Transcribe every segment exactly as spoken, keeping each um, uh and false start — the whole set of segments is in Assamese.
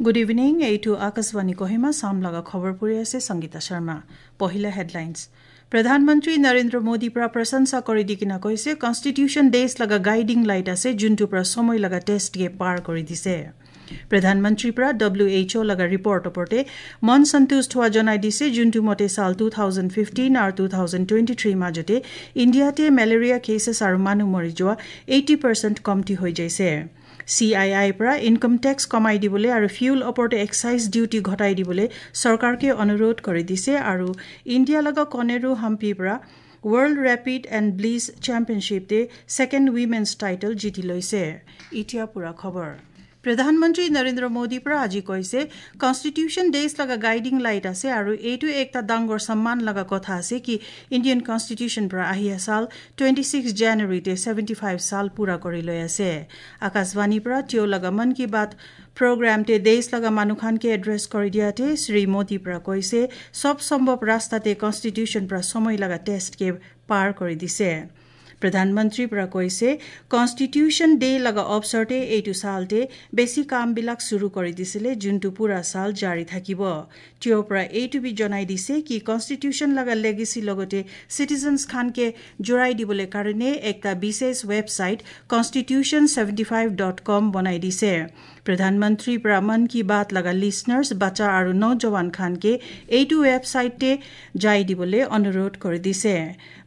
গুড ইভিনিং, এইটো আকাশবাণী কহিমা। চাম লগা খবৰ পঢ়ি আছে সংগীতা শৰ্মা। পহিলা হেডলাইনছ। প্ৰধানমন্ত্ৰী নৰেন্দ্ৰ মোদীৰ পৰা প্ৰশংসা কৰি দি কিনা কৈছে কনষ্টিটিউশ্যন ডেজ লগা গাইডিং লাইট আছে, যোনটোৰ পৰা সময় লগা টেষ্টকে পাৰ কৰি দিছে। প্ৰধানমন্ত্ৰীৰ পৰা ডব্লিউ এইচ অ' লগা ৰিপৰ্ট ওপৰতে মন সন্তুষ্ট হোৱা জনাই দিছে, যোনটো মতে চাল টু থাউজেণ্ড ফিফটিন আৰু টু থাউজেণ্ড টুৱেণ্টি থ্ৰীৰ মাজতে ইণ্ডিয়াতে মেলেৰিয়া কেছেছ আৰু মানুহ মৰি যোৱা এইটি পাৰ্চেণ্ট কমটি হৈ যাইছে। চি I আইৰ পৰা ইনকাম টেক্স কমাই দিবলৈ আৰু ফিউল ওপৰতে এক্সাইজ ডিউটি ঘটাই দিবলৈ চৰকাৰকে অনুৰোধ কৰি দিছে। আৰু ইণ্ডিয়া লগা কনেৰু হাম্পিৰ পৰা ৱৰ্ল্ড ৰেপিড এণ্ড ব্লিজ চেম্পিয়নশ্বিপতে ছেকেণ্ড উইমেন্স টাইটেল জিতি লৈছে। এতিয়া পুৰা খবৰ। প্ৰধানমন্ত্ৰী নৰেন্দ্ৰ মোদীৰ পৰা আজি কৈছে কনষ্টিটিউশ্যন ডেজ লগা গাইডিং লাইট আছে আৰু এইটো একটা ডাঙৰ সন্মান লগা কথা আছে কি ইণ্ডিয়ান কনষ্টিটিউশ্যন পৰা আহি চাল টুৱেণ্টি ছিক্স জানুৱাৰীতে ছেভেণ্টি ফাইভ চাল পুৰা কৰি লৈ আছে। আকাশবাণীৰ পৰা তেওঁ লগা মন কী বাত প্ৰগ্ৰামতে দেশ লগা মানুহখানকে এড্ৰেছ কৰি দিয়াতে শ্ৰী মোদীৰ পৰা কৈছে চব সম্ভৱ ৰাস্তাতে কনষ্টিটিউশ্যন পৰা সময় লগা টেষ্টকে পাৰ কৰি দিছে। প্ৰধানমন্ত্ৰীৰ পৰা কৈছে কনষ্টিটিউশ্যন ডে লগা অৱসৰতে এইটো চালতে বেছি কামবিলাক চুৰু কৰি দিছিলে, যোনটো পুৰা চাল জাৰি থাকিব। তেওঁৰ পৰা এইটো বি জনাই দিছে কি কনষ্টিটিউশ্যন লগা লেগেচি লগতে চিটিজেনছ খানকে জোৰাই দিবলৈ কাৰণে একটা বিশেষ website constitution seventy five dot com বনাই দিছে। প্ৰধানমন্ত্ৰীৰ পৰা মন কী বাত লগা লিচনাৰ্ছ, বাচ্চা আৰু নৌজৱান খানকে এইটো ৱেবছাইটতে যাই দিবলৈ অনুৰোধ কৰি দিছে।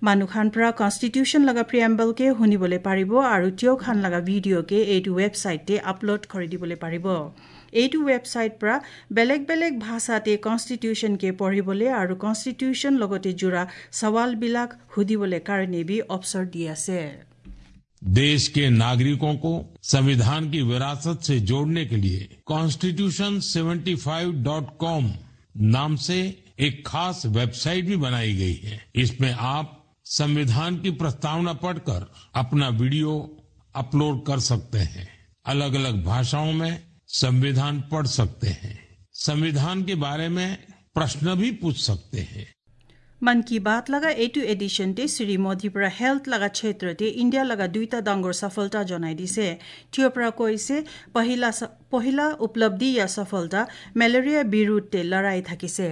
মানুহখান পৰা কনষ্টিটিউশ্যন লগা প্ৰিয়েম্বলকে শুনিবলৈ পাৰিব আৰু তেওঁ খান লগা ভিডিঅ'কে এইটো ৱেবছাইটতে আপলোড কৰি দিবলৈ পাৰিব। এইটো ৱেবছাইট পৰা বেলেগ বেলেগ ভাষাতে কনষ্টিটিউশ্যনকে পঢ়িবলৈ আৰু কনষ্টিটিউশ্যন লগতে জোৰা সৱালবিলাক সুধিবলৈ কাৰণে বি অৱসৰ দি আছে। देश के नागरिकों को संविधान की विरासत से जोड़ने के लिए constitution seventy five dot com नाम से एक खास वेबसाइट भी बनाई गई है। इसमें आप संविधान की प्रस्तावना पढ़कर अपना वीडियो अपलोड कर सकते हैं। अलग अलग भाषाओं में संविधान पढ़ सकते हैं। संविधान के बारे में प्रश्न भी पूछ सकते हैं। মন কী বাত লগা এইটো এডিশ্যনতে শ্ৰী মোদীৰ পৰা হেল্থ লগা ক্ষেত্ৰতে ইণ্ডিয়া লগা দুইটা ডাঙৰ সফলতা জনাই দিছে। তেওঁৰ পৰা কৈছে পহিলা পহিলা উপলব্ধি या সফলতা মেলেৰিয়া বিৰুদ্ধে লৰাই থাকিছে।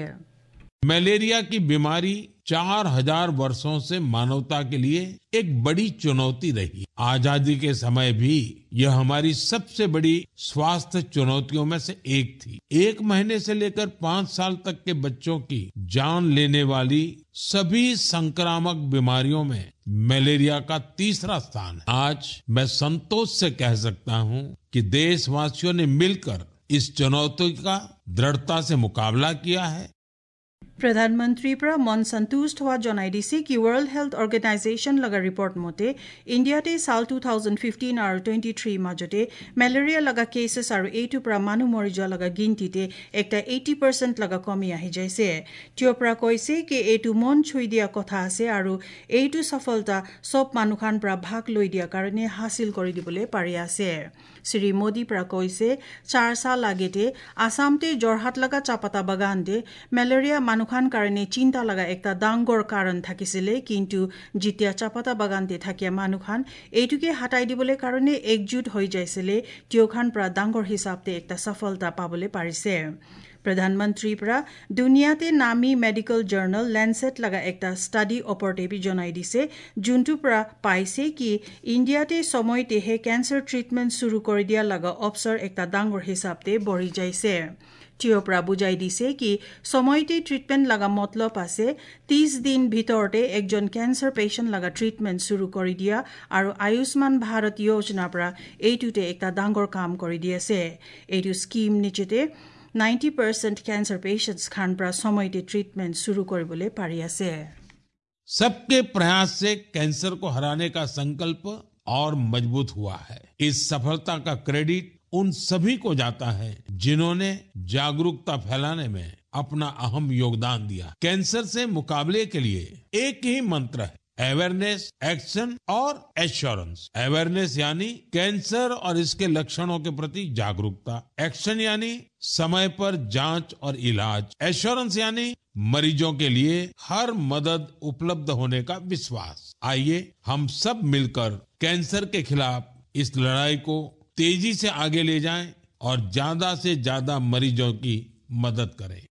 मलेरिया की बीमारी चार हजार वर्षों से मानवता के लिए एक बड़ी चुनौती रही। आजादी के समय भी यह हमारी सबसे बड़ी स्वास्थ्य चुनौतियों में से एक थी। एक महीने से लेकर पांच साल तक के बच्चों की जान लेने वाली सभी संक्रामक बीमारियों में मलेरिया का तीसरा स्थान है। आज मैं संतोष से कह सकता हूं कि देशवासियों ने मिलकर इस चुनौती का दृढ़ता से मुकाबला किया है। প্ৰধানমন্ত্ৰীৰ পৰা মন সন্তুষ্ট হোৱা জনাই দিছে কি ৱৰ্ল্ড হেল্থ অৰ্গেনাইজেশ্যন লগা ৰিপৰ্ট মতে ইণ্ডিয়াতে চাল টু থাউজেণ্ড ফিফটিন আৰু টুৱেণ্টি থ্ৰীৰ মাজতে মেলেৰিয়া লগা কেছেছ আৰু এইটোৰ পৰা মানুহ মৰি যোৱা লগা গিনতিতে একটা এইটি পাৰ্চেণ্ট লগা কমি আহি যাইছে। তেওঁৰ পৰা কৈছে কি এইটো মন চুই দিয়া কথা আছে আৰু এইটো সফলতা চব মানুহখান পৰা ভাগ লৈ দিয়াৰ কাৰণে হাচিল কৰি দিবলৈ পাৰি আছে। শ্ৰী মোদীৰ পৰা কৈছে চাৰ চাল আগেতে আছামতে যোৰহাট লগা চাপাতা বাগানতে মেলেৰিয়া মানুহ খান কাৰণে চিন্তা লগা একটা ডাঙৰ কাৰণ থাকিছিলে, কিন্তু যেতিয়া চাপাতা বাগানতে থাকিয়া মানুহখান এইটোকে হাতাই দিবলৈ কাৰণে একজুট হৈ যাইছিলে, তেওঁখান পৰা ডাঙৰ হিচাপতে একটা সফলতা পাবলৈ পাৰিছে। প্ৰধানমন্ত্ৰীৰ পৰা দুনিয়াতে নামী মেডিকেল জাৰ্নেল লেন্সেট লগা একটা ষ্টাডি ওপৰতে বি জনাই দিছে, যোনটোৰ পৰা পাইছে কি ইণ্ডিয়াতে সময়তেহে কেঞ্চাৰ ট্ৰিটমেণ্ট চুৰু কৰি দিয়া লগা অৱসৰ একটা ডাঙৰ হিচাপতে বঢ়ি যাইছে। তেওঁৰ পৰা বুজাই দিছে কি সময়তে ট্ৰিটমেণ্ট লগা মতলব আছে ত্ৰিছ দিন ভিতৰতে একজন কেঞ্চাৰ পেচেণ্ট লগা ট্ৰিটমেণ্ট চুৰু কৰি দিয়া আৰু আয়ুষ্মান ভাৰত যোজনাৰ পৰা এইটোতে একটা ডাঙৰ কাম কৰি দি আছে। এইটো স্কীম নিচেতে নাইণ্টি পাৰ্চেণ্ট কেঞ্চাৰ পেচেণ্টছ খান পৰা সময়তে ট্ৰিটমেণ্ট চুৰু কৰিবলৈ পাৰি আছে। सबके प्रयास से कैंसर को हराने का संकल्प और मजबूत हुआ है। इस सफलता का क्रेडिट उन सभी को जाता है जिन्होंने जागरूकता फैलाने में अपना अहम योगदान दिया। कैंसर से मुकाबले के लिए एक ही मंत्र है, अवेयरनेस, एक्शन और एश्योरेंस। अवेयरनेस यानी कैंसर और इसके लक्षणों के प्रति जागरूकता, एक्शन यानी समय पर जांच और इलाज, एश्योरेंस यानी मरीजों के लिए हर मदद उपलब्ध होने का विश्वास। आइए हम सब मिलकर कैंसर के खिलाफ इस लड़ाई को तेजी से आगे ले जाएं और ज्यादा से ज्यादा मरीजों की मदद करें।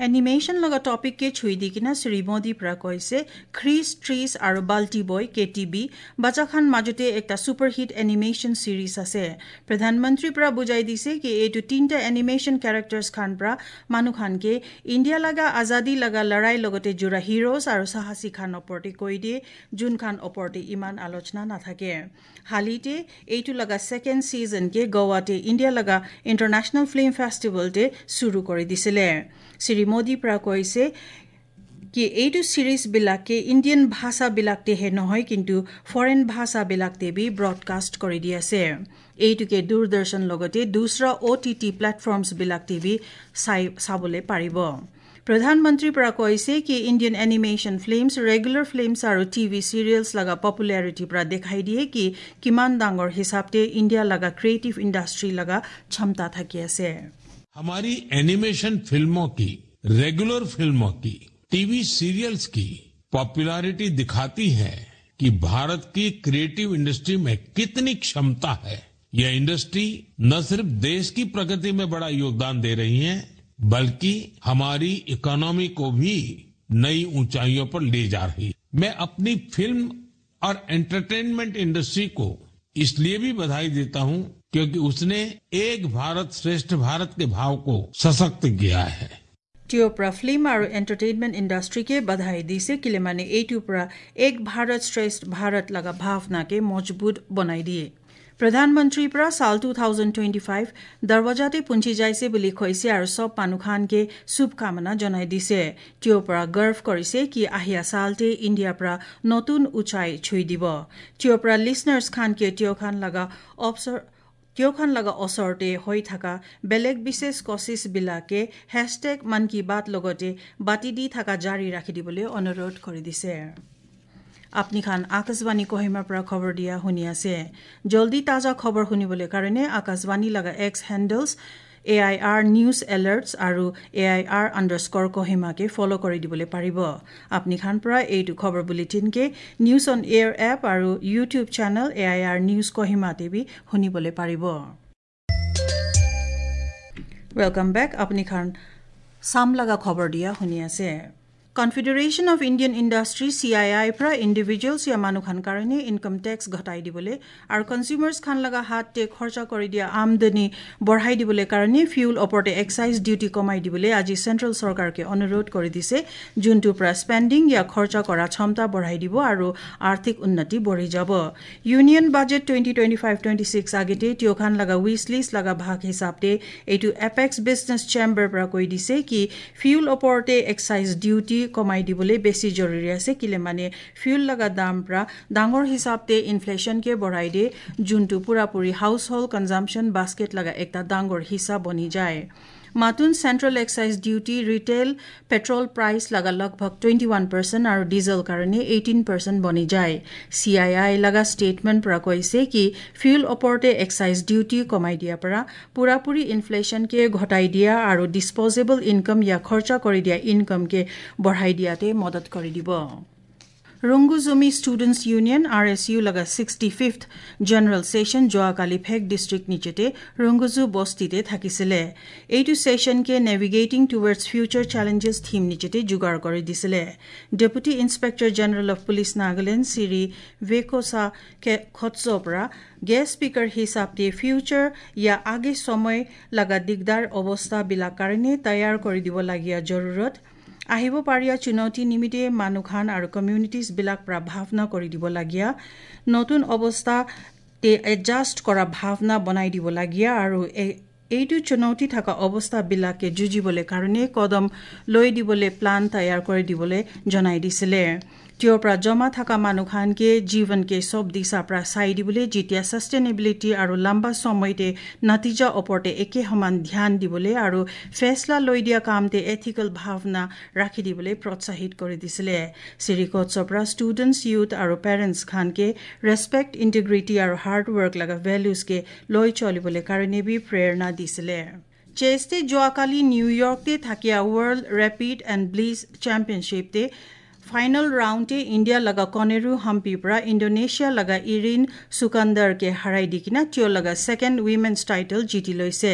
এনিমেশ্যন লগা টপিককে ছুই দি কিনা শ্ৰী মোদী পৰা কৈছে খ্ৰীছ ট্ৰিজ আৰু বাল্টি বয় কে টি বি বাচ্চাখান মাজতে একটা ছুপাৰহিট এনিমেশ্যন চিৰিজ আছে। প্ৰধানমন্ত্ৰীৰ পৰা বুজাই দিছে কি এইটো তিনিটা এনিমেশ্যন কেৰেক্টাৰ্ছ খান পৰা মানুহখানকে ইণ্ডিয়া লগা আজাদী লগা লৰাই লগতে জোৰা হিৰোজ আৰু সাহসী খান ওপৰতে কৈ দিয়ে, যোনখান ওপৰতে ইমান আলোচনা নাথাকে। হালিতে এইটো লগা ছেকেণ্ড ছিজনকে গোৱাতে ইণ্ডিয়া লগা ইণ্টাৰনেশ্যনেল ফিল্ম ফেষ্টিভেলতে চুৰু কৰি দিছিলে। শ্ৰী মোদীৰ পৰা কৈছে কি এইটো চিৰিজবিলাকে ইণ্ডিয়ান ভাষাবিলাকতেহে নহয়, কিন্তু ফৰেইন ভাষাবিলাকতে বি ব্ৰডকাষ্ট কৰি দি আছে। এইটোকে দূৰদৰ্শন লগতে দুসৰা অ' টি টি প্লেটফৰ্মছবিলাকতে বি চাই চাবলৈ পাৰিব। প্ৰধানমন্ত্ৰীৰ পৰা কৈছে কি Indian animation films, regular films আৰু টিভি চিৰিয়েলছ লগা পপুলাৰিটিৰ পৰা দেখাই দিয়ে কি কিমান ডাঙৰ হিচাপতে ইণ্ডিয়া লগা ক্ৰিয়েটিভ ইণ্ডাষ্ট্ৰী লগা ক্ষমতা থাকি আছে। हमारी एनिमेशन फिल्मों की, रेगुलर फिल्मों की, टीवी सीरियल्स की पॉपुलैरिटी दिखाती है कि भारत की क्रिएटिव इंडस्ट्री में कितनी क्षमता है। यह इंडस्ट्री न सिर्फ देश की प्रगति में बड़ा योगदान दे रही है, बल्कि हमारी इकोनॉमी को भी नई ऊंचाइयों पर ले जा रही है। मैं अपनी फिल्म और एंटरटेनमेंट इंडस्ट्री को इसलिए भी बधाई देता हूं क्योंकि उसने एक भारत श्रेष्ठ भारत के भाव को सशक्त किया है। তেওঁৰ পৰা ফিল্ম আৰু এণ্টাৰটেইনমেণ্ট ইণ্ডাষ্ট্ৰীকে বধাই দিছে, কেলে মানে এইটোৰ পৰা এক ভাৰত শ্ৰেষ্ঠ ভাৰত লগা ভাৱনাকে মজবুত বনাই দিয়ে। প্ৰধানমন্ত্ৰীৰ পৰা চাল টু থাউজেণ্ড টুৱেণ্টি ফাইভ দৰৱাজাতে পুঞ্চি যাইছে বুলি কৈছে আৰু চব মানুহখানকে শুভকামনা জনাই দিছে। তেওঁৰ পৰা গৰ্ভ কৰিছে কি আহিয়া চালতে ইণ্ডিয়াৰ পৰা নতুন উচাই ছুই দিব। তেওঁৰ পৰা লিচনাৰ্ছ খানকে তেওঁ খান লগা অৱসৰ তেওঁখান লগা ওচৰতে হৈ থকা বেলেগ বিশেষ কচিছবিলাকে হেছটেগ মন কী বাত লগতে বাতি দি থকা জাৰি ৰাখি দিবলৈ অনুৰোধ কৰি দিছে। আপুনি খান আকাশবাণী কহিমাৰ পৰা খবৰ দিয়া শুনি আছে। জলদি তাজা খবৰ শুনিবলৈ কাৰণে আকাশবাণী লগা X handles A I R news alerts আৰু এ I R underscore কহিমাকে follow কৰি দিবলৈ পাৰিব। আপুনি খান পৰা এইটো খবৰ বুলেটিনকে নিউজ অন এয়াৰ এপ আৰু YouTube channel A I R news কহিমাতে B শুনিবলৈ পাৰিব। Welcome back. আপুনি খান চাম লগা খবৰ দিয়া শুনি আছে। Confederation of Indian industry C I আইৰ পৰা ইণ্ডিভিজুৱেলছ ইয়া মানুহখান কাৰণে ইনকাম টেক্স ঘটাই দিবলৈ আৰু কনজিউমাৰ্ছ খান লগা হাততে খৰচা কৰি দিয়া আমদানি বঢ়াই দিবলৈ কাৰণে ফিউল ওপৰতে এক্সাইজ ডিউটি কমাই দিবলৈ আজি চেণ্ট্ৰেল চৰকাৰকে অনুৰোধ কৰি দিছে, যোনটোৰ পৰা স্পেণ্ডিং ইয়া খৰচা কৰা ক্ষমতা বঢ়াই দিব আৰু আৰ্থিক উন্নতি বঢ়ি যাব। Union budget twenty twenty five twenty six আগতে তেওঁখান লগা উইচ লিষ্ট লগা ভাগ হিচাপতে এইটো এপেক্স বিজনেছ চেম্বাৰ পৰা কৈ দিছে কি ফিউল ওপৰতে এক্সাইজ ডিউটি কমাই দিবলৈ বেছি জৰুৰী আছে, কেলে মানে ফিউল লগা দাম পৰা ডাঙৰ হিচাপতে ইনফ্লেশ্যনকে বঢ়াই দিয়ে, যোনটো পুৰাপুৰি হাউচ হোল্ড কনজামশ্যন বাস্কেট লগা একটা ডাঙৰ হিচা বনি যায়। মাতুন central excise duty retail petrol price লগা লগভগ টুৱেণ্টি ওৱান পাৰ্চেণ্ট আৰু ডিজেল কাৰণে এইটিন পাৰ্চেণ্ট বনি যায়। চি I I লগা ষ্টেটমেণ্ট পৰা কৈছে কি ফিউল ওপৰতে এক্সাইজ ডিউটি কমাই দিয়াৰ পৰা পুৰাপুৰি ইনফ্লেশ্যনকে ঘটাই দিয়া আৰু ডিছপ'জেবল ইনকাম ইয়া খৰচা কৰি দিয়া ইনকামকে বঢ়াই দিয়াতে মদত কৰি দিব। Rungoo Zomi students union R S U লগা ছিক্সটি ফিফথ জেনেৰেল ছেশ্যন যোৱাকালি ফেক ডিষ্ট্ৰিক্ট নিচেতে ৰুংগুজু বস্তিতে থাকিছিলে। এইটো ছেশ্যনকে navigating towards future challenges theme নিচেতে যোগাৰ কৰি দিছিলে। Deputy inspector general of police Nagaland Shri ভেকোচা খৎসৰ পৰা গেষ্ট স্পীকাৰ হিচাপে ফিউচাৰ ইয়া আগে সময় লগা দিগদাৰ অৱস্থাবিলাক কাৰণে তৈয়াৰ কৰি দিব লগীয়া জৰুৰত আহিব পাৰিয়া চুনৌতি নিমিত্তে মানুহখান আৰু কমিউনিটিজবিলাক পৰা ভাৱনা কৰি দিব লগীয়া, নতুন অৱস্থা তে এডজাষ্ট কৰা ভাৱনা বনাই দিব লগীয়া আৰু এইটো চুনৌতি থকা অৱস্থাবিলাকে যুঁজিবলৈ কাৰণে কদম লৈ দিবলৈ প্লান তৈয়াৰ কৰি দিবলৈ জনাই দিছিলে। তেওঁৰ পৰা জমা থকা মানুহখানকে জীৱনকে চব দিশাৰ পৰা চাই দিবলৈ যেতিয়া ছাষ্টেইনেবিলিটি আৰু লম্বা সময়তে নতিজা ওপৰতে একে সমান ধ্যান দিবলৈ আৰু ফেচলা লৈ দিয়া কামতে এথিকেল ভাৱনা ৰাখি দিবলৈ প্ৰোৎসাহিত কৰি দিছিলে। শ্ৰীকোৎসৰ পৰা ষ্টুডেণ্টছ, ইউথ আৰু পেৰেণ্টছ খানকে ৰেচপেক্ট, ইণ্টিগ্ৰিটি আৰু হাৰ্ডৱৰ্ক লগা ভেলুজকে লৈ চলিবলৈ কাৰণে বি প্ৰেৰণা দিছিলে। চেষ্টে যোৱাকালি নিউয়ৰ্কতে থাকিয়া ৱৰ্ল্ড ৰেপিড এণ্ড ব্লিজ চেম্পিয়নশ্বিপতে ফাইনেল ৰাউণ্ডে ইণ্ডিয়া লগা কনেৰু হাম্পিৰ পৰা ইণ্ডোনেছিয়া লগা ইৰিন সুকান্দাৰকে হাৰাই দি কিনা তেওঁ লগা ছেকেণ্ড উইমেন্স টাইটেল জিতি লৈছে।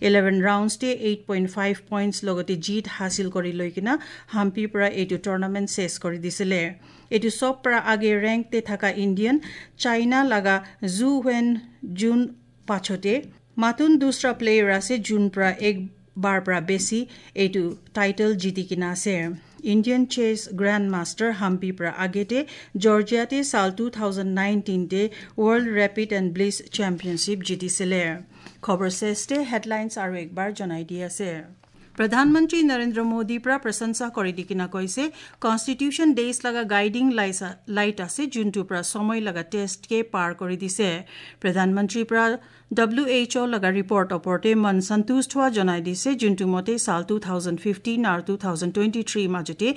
ইলেভেন ৰাউণ্ডতে এইট পইণ্ট ফাইভ পইণ্টছ লগতে জিত হাচিল কৰি লৈ কিনা হাম্পিৰ পৰা এইটো টুৰ্ণামেণ্ট শেষ কৰি দিছিলে। এইটো চব পৰা আগে ৰেংকতে থকা ইণ্ডিয়ান চাইনা লগা জু when June পাছতে মাতুন দুসৰা প্লেয়াৰ আছে জুন পৰা একবাৰ পৰা বেছি এইটো টাইটেল জিতি কিনা আছে। ইণ্ডিয়ান চেছ গ্ৰেণ্ড মাষ্টাৰ হাম্পিৰ পৰা আগেতে জৰ্জিয়াতে চাল টু থাউজেণ্ড নাইনটিনতে world rapid and blitz championship জিতিছিলে। খবৰ শ্ৰেষ্ঠে হেডলাইনছ আৰু একবাৰ জনাই দি আছে। প্ৰধানমন্ত্ৰী নৰেন্দ্ৰ মোদীৰ পৰা প্ৰশংসা কৰি দি কিনা কৈছে কনষ্টিটিউশ্যন ডেজ লগা গাইডিং লাইট আছে যোনটোৰ পৰা সময় লগা টেষ্টকে পাৰ কৰি দিছে। প্ৰধানমন্ত্ৰীৰ পৰা ডব্লিউ এইচ অ' লগা ৰিপৰ্ট ওপৰতে মন সন্তুষ্ট হোৱা জনাই দিছে, যোনটো মতে চাল টু থাউজেণ্ড ফিফটিন আৰু টু থাউজেণ্ড টুৱেণ্টি থ্ৰীৰ মাজতে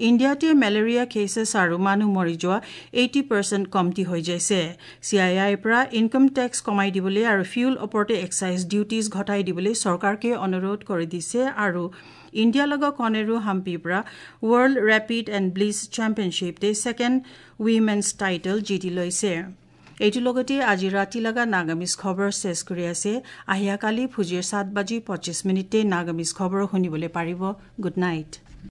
ইণ্ডিয়াতে মেলেৰিয়া কেছেছ আৰু মানুহ মৰি যোৱা এইটি পাৰ্চেণ্ট কমটি হৈ যাইছে। চি I আইৰ পৰা ইনকাম টেক্স কমাই দিবলৈ আৰু ফিউল ওপৰতে এক্সাইজ ডিউটিজ ঘটাই দিবলৈ চৰকাৰকে অনুৰোধ কৰি দিছে। আৰু ইণ্ডিয়া লগা কনেৰু হাম্পিৰ পৰা ৱৰ্ল্ড ৰেপিড এণ্ড ব্লিছ চেম্পিয়নশ্বিপতে ছেকেণ্ড উইমেন্স টাইটেল জিতি লৈছে। এইটোৰ লগতে আজি ৰাতি লগা নাগামিজ খবৰ শেষ কৰি আছে। আহিয়াকালি ফুজিৰ সাত বাজি পঁচিছ মিনিটতে নাগামিজ খবৰ শুনিবলৈ পাৰিব। Good night.